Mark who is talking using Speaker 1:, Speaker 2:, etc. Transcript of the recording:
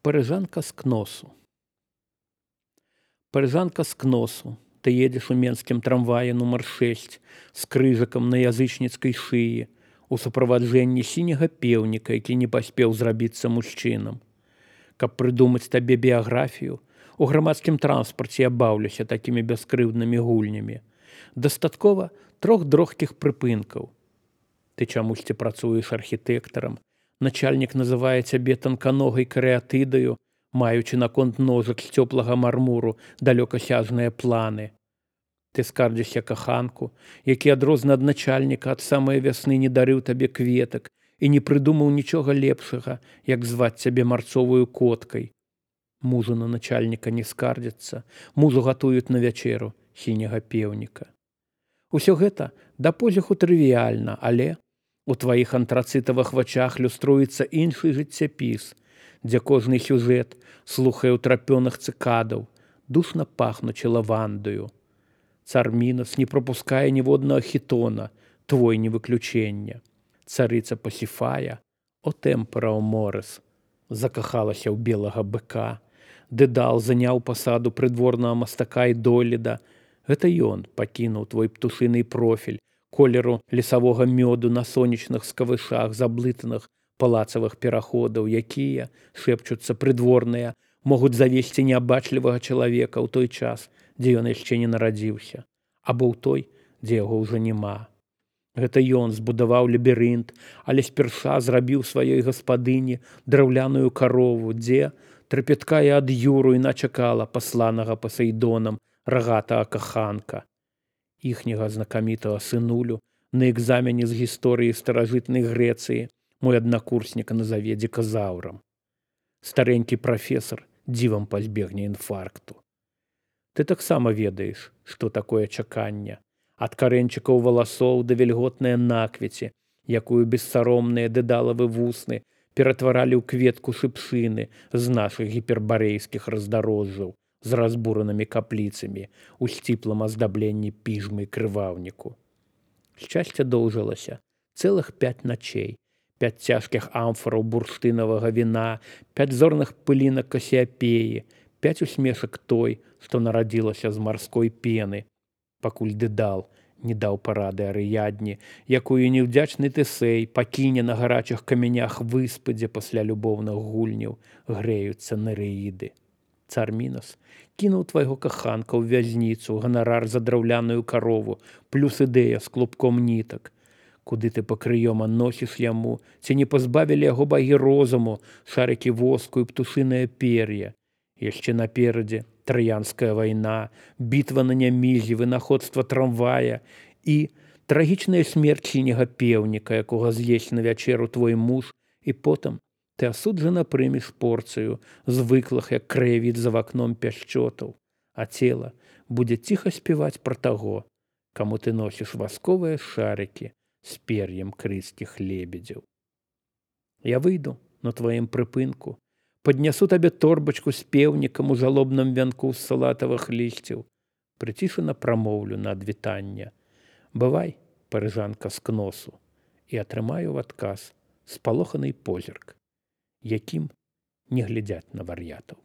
Speaker 1: Парижанка с Кносу. Парижанка с Кносу. Ты едешь у менскім трамвае нумар 6 з крыжыкам на язычніцкай шыі у суправаджэнні сіняга пеўніка, які не паспеў зрабіцца мужчынам. Каб прыдумаць табе біяграфію, у грамадскім транспарце я баўлюся такімі бяскрыўднымі гульнямі. Дастаткова 3 дрохкіх прыпынкаў. Ты чамусьці працуеш архітэктарам, начальнік называе цябе танканогай карэатыдаю, маючы наконт ножак з цёплага мармуру далёкасяжныя планы. Ты скардзішся каханку, які адрозна ад начальніка ад самай вясны не дарыў табе кветак і не прыдумаў нічога лепшага, як зваць цябе марцовую коткай. Мужу на начальніка не скардзяцца, мужу гатуюць на вячэру сіняга пеўніка. Усё гэта да позіху трывіяльна, але у тваіх антрацытавых вачах люструецца іншы жыццяпіс, дзе кожны сюжэт слухае ўтрапёных цыкадаў, душна пахнучы лавандаю. Цар Мінас не пропускае ніводнага хітона, твой не выключэнне. Царыца Пасіфая, о тэмпера о морыс, закахалася ў белага быка. Дэдал заняў пасаду прыдворнага мастака і дойліда. Гэта ён пакінуў твой птушыны профіль, колеру лесавога мёду на сонечных скавышах заблытаных палацавых пераходаў, якія, шэпчуцца прыдворныя, могуць завесці неабачлівага чалавека ў той час, дзе ён яшчэ не нарадзіўся, або ў той, дзе яго ўжо няма. Гэта ён збудаваў лабірынт, але спярша зрабіў сваёй гаспадыні драўляную карову, дзе трапяткая ад юру іна чакала пасланага Пасейдонам рагатага каханка. Іхняга знакамітага сынулю на экзамене з гісторыі старажытнай Грэцыі мой аднакурснік назаве дзіказаўрам. Старэнькі прафесар дзівам пазбегне інфаркту. Ты таксама ведаеш, што такое чаканне. Ад карэнчыкаў валасоў да вільготнае наквеці, якую бессаромныя дэдалавы вусны ператваралі ў кветку шыпшыны з нашых гіпербарэйскіх раздарожжаў з разбуранымі капліцамі у сціплым аздабленні піжмы і крываўніку. Шчасце доўжылася цэлых 5 начей, 5 цяжкіх амфараў бурштынавага віна, 5 зорных пылінак касіяпеі, 5 усмешак той, што нарадзілася з марской пены, пакуль дэдал не даў парады Арыядні, якую неўдзячны Тэсей пакіне на гарачых камянях выспы, дзе пасля любоўных гульняў грэюцца нерэіды. Цар Мінас кінуў твайго каханка ў вязніцу, ганарар за драўляную карову, плюс ідэя з клубком нітак. Куды ты пакрыёма носіш яму, ці не пазбавілі яго багі розуму, шарыкі воску і птушынае пер'е. Яшчэ наперадзе Траянская вайна, бітва на Нямізе, вынаходства трамвая і трагічная смерць сіняга пеўніка, якога з'есць на вячэру твой муж, і потым ты асуджана прымеш порцыю звыклых, як краявід за вакном пяшчотаў, а цела будзе ціха спяваць пра таго, каму ты носіш васковыя шарыкі з пер'ем крыцкіх лебедзяў. Я выйду на тваім прыпынку, паднясу табе торбачку з пеўнікам у жалобным вянку з салатавых лісцяў, прыцішана прамоўлю на адвітанне. Бывай, парыжанка з Кносу, і атрымаю ў адказ спалоханы позірк, якім не глядзяць на вар'ятаў.